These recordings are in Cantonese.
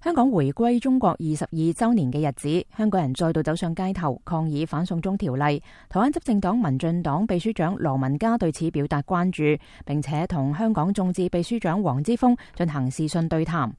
香港回歸中國22週年嘅日子，香港人再度走上街頭抗議反送中條例。台灣執政黨民進黨秘書長羅文嘉對此表達關注，並且同香港眾志秘書長黃之鋒進行視訊對談。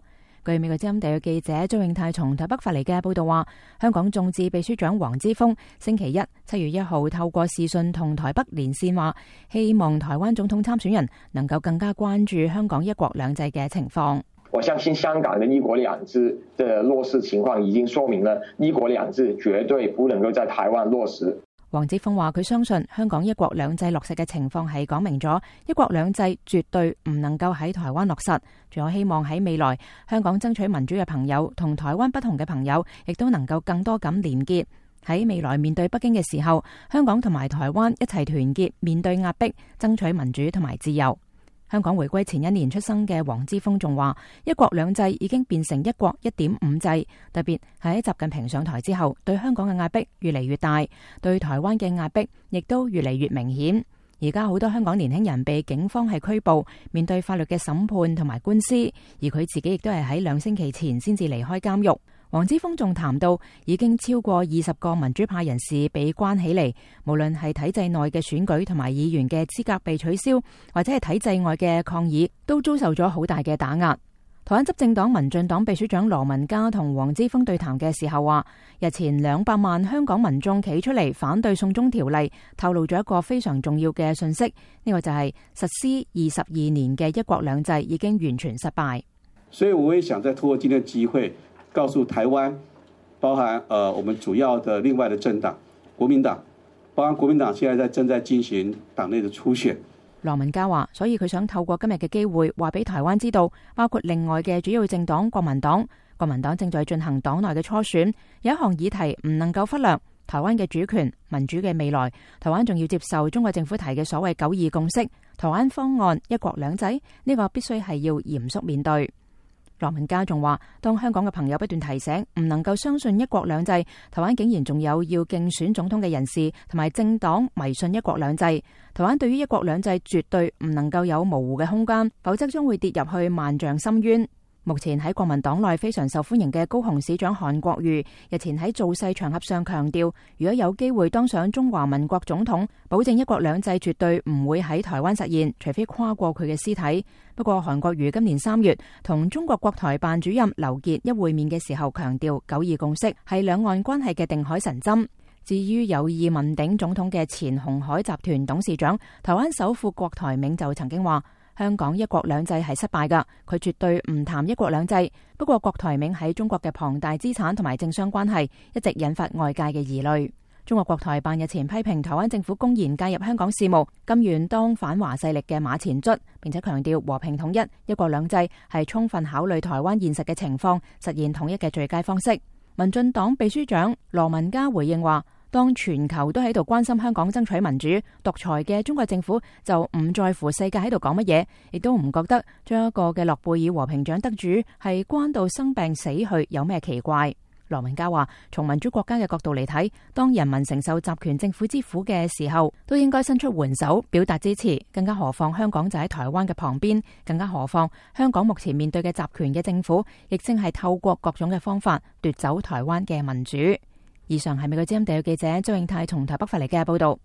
據美國之音地嘅記者周永泰從台北發嚟嘅報道話，香港眾志秘書長黃之鋒星期一7月1號透過視訊同台北連線話，希望台灣總統參選人能夠更加關注香港一國兩制嘅情況。我相信香港的一國兩制的落實情況已經說明了一國兩制絕對不能夠在台灣落實。黃之鋒話佢相信香港一國兩制落實嘅情況係講明咗一國兩制絕對唔能夠喺台灣落實，仲有希望喺未來香港爭取民主嘅朋友同台灣不同嘅朋友亦都能夠更多咁連結，喺未來面對北京嘅時候，香港同埋台灣一齊團結面對壓迫，爭取民主同埋自由。香港回歸前一年出生嘅黃之鋒仲話，一國兩制已經變成一國1.5制，特別喺習近平上台之後，對香港嘅壓迫越嚟越大，對台灣嘅壓迫亦都越嚟越明顯。而家好多香港年輕人被警方係拘捕，面對法律嘅審判同埋官司，而佢自己亦都係喺2星期前先至離開監獄。黃之鋒仲談到，已經超過20個民主派人士被關起嚟，無論係體制內嘅選舉同埋議員嘅資格被取消，或者係體制外嘅抗議，都遭受咗好大嘅打壓。台灣執政黨民進黨秘書長羅文嘉同黃之鋒對談嘅時候話，日前200萬香港民眾企出嚟反對送中條例，透露咗一個非常重要嘅訊息，呢個就係實施22年嘅一國兩制已經完全失敗。所以我也想再透過今天的機會告訴台灣，包含我們主要的另外的政黨國民黨，包含國民黨現在正在進行黨內的初選。羅文嘉話，所以佢想透過今日嘅機會話俾台灣知道，包括另外嘅主要政黨國民黨正在進行黨內嘅初選，有一項議題唔能夠忽略，台灣嘅主權、民主嘅未來，台灣仲要接受中國政府提嘅所謂9·2共識、台灣方案、一國兩制，呢個必須係要嚴肅面對。羅文嘉仲話，當香港嘅朋友不斷提醒唔能夠相信一國兩制，台灣竟然仲有要競選總統嘅人士同埋政黨迷信一國兩制，台灣對於一國兩制絕對唔能夠有模糊嘅空間，否則將會跌入去萬丈深淵。目前喺國民黨內非常受歡迎嘅高雄市長韓國瑜日前喺造勢場合上強調，如果有機會當上中華民國總統，保證一國兩制絕對唔會喺台灣實現，除非跨過佢嘅屍體。不過韓國瑜今年3月同中國國台辦主任劉傑一會面嘅時候強調，9·2共識係兩岸關係嘅定海神針。至於有意問鼎總統嘅前鴻海集團董事長台灣首富郭台銘就曾經話，香港一國兩制係失敗㗎，佢絕對唔談一國兩制。不過郭台銘喺中國嘅龐大資產同埋政商關係一直引發外界嘅疑慮。中國國台辦日前批評台灣政府公然介入香港事務，甘願當反華勢力嘅馬前卒，並且強調和平統一、一國兩制係充分考慮台灣現實嘅情況，實現統一嘅最佳方式。民進黨秘書長羅文嘉回應話，當全球都喺度關心香港爭取民主，獨裁嘅中國政府就唔在乎世界喺度講乜嘢，亦都唔覺得將一個嘅諾貝爾和平獎得主係關到生病死去有咩奇怪。羅文嘉話，從民主國家嘅角度嚟睇，當人民承受集權政府之苦嘅時候，都應該伸出援手表達支持，更加何況香港就喺台灣嘅旁邊，更加何況香港目前面對嘅集權嘅政府，亦正係透過各種嘅方法奪走台灣嘅民主。以上係美國之音地嘅記者周永泰從台北發嚟嘅報道。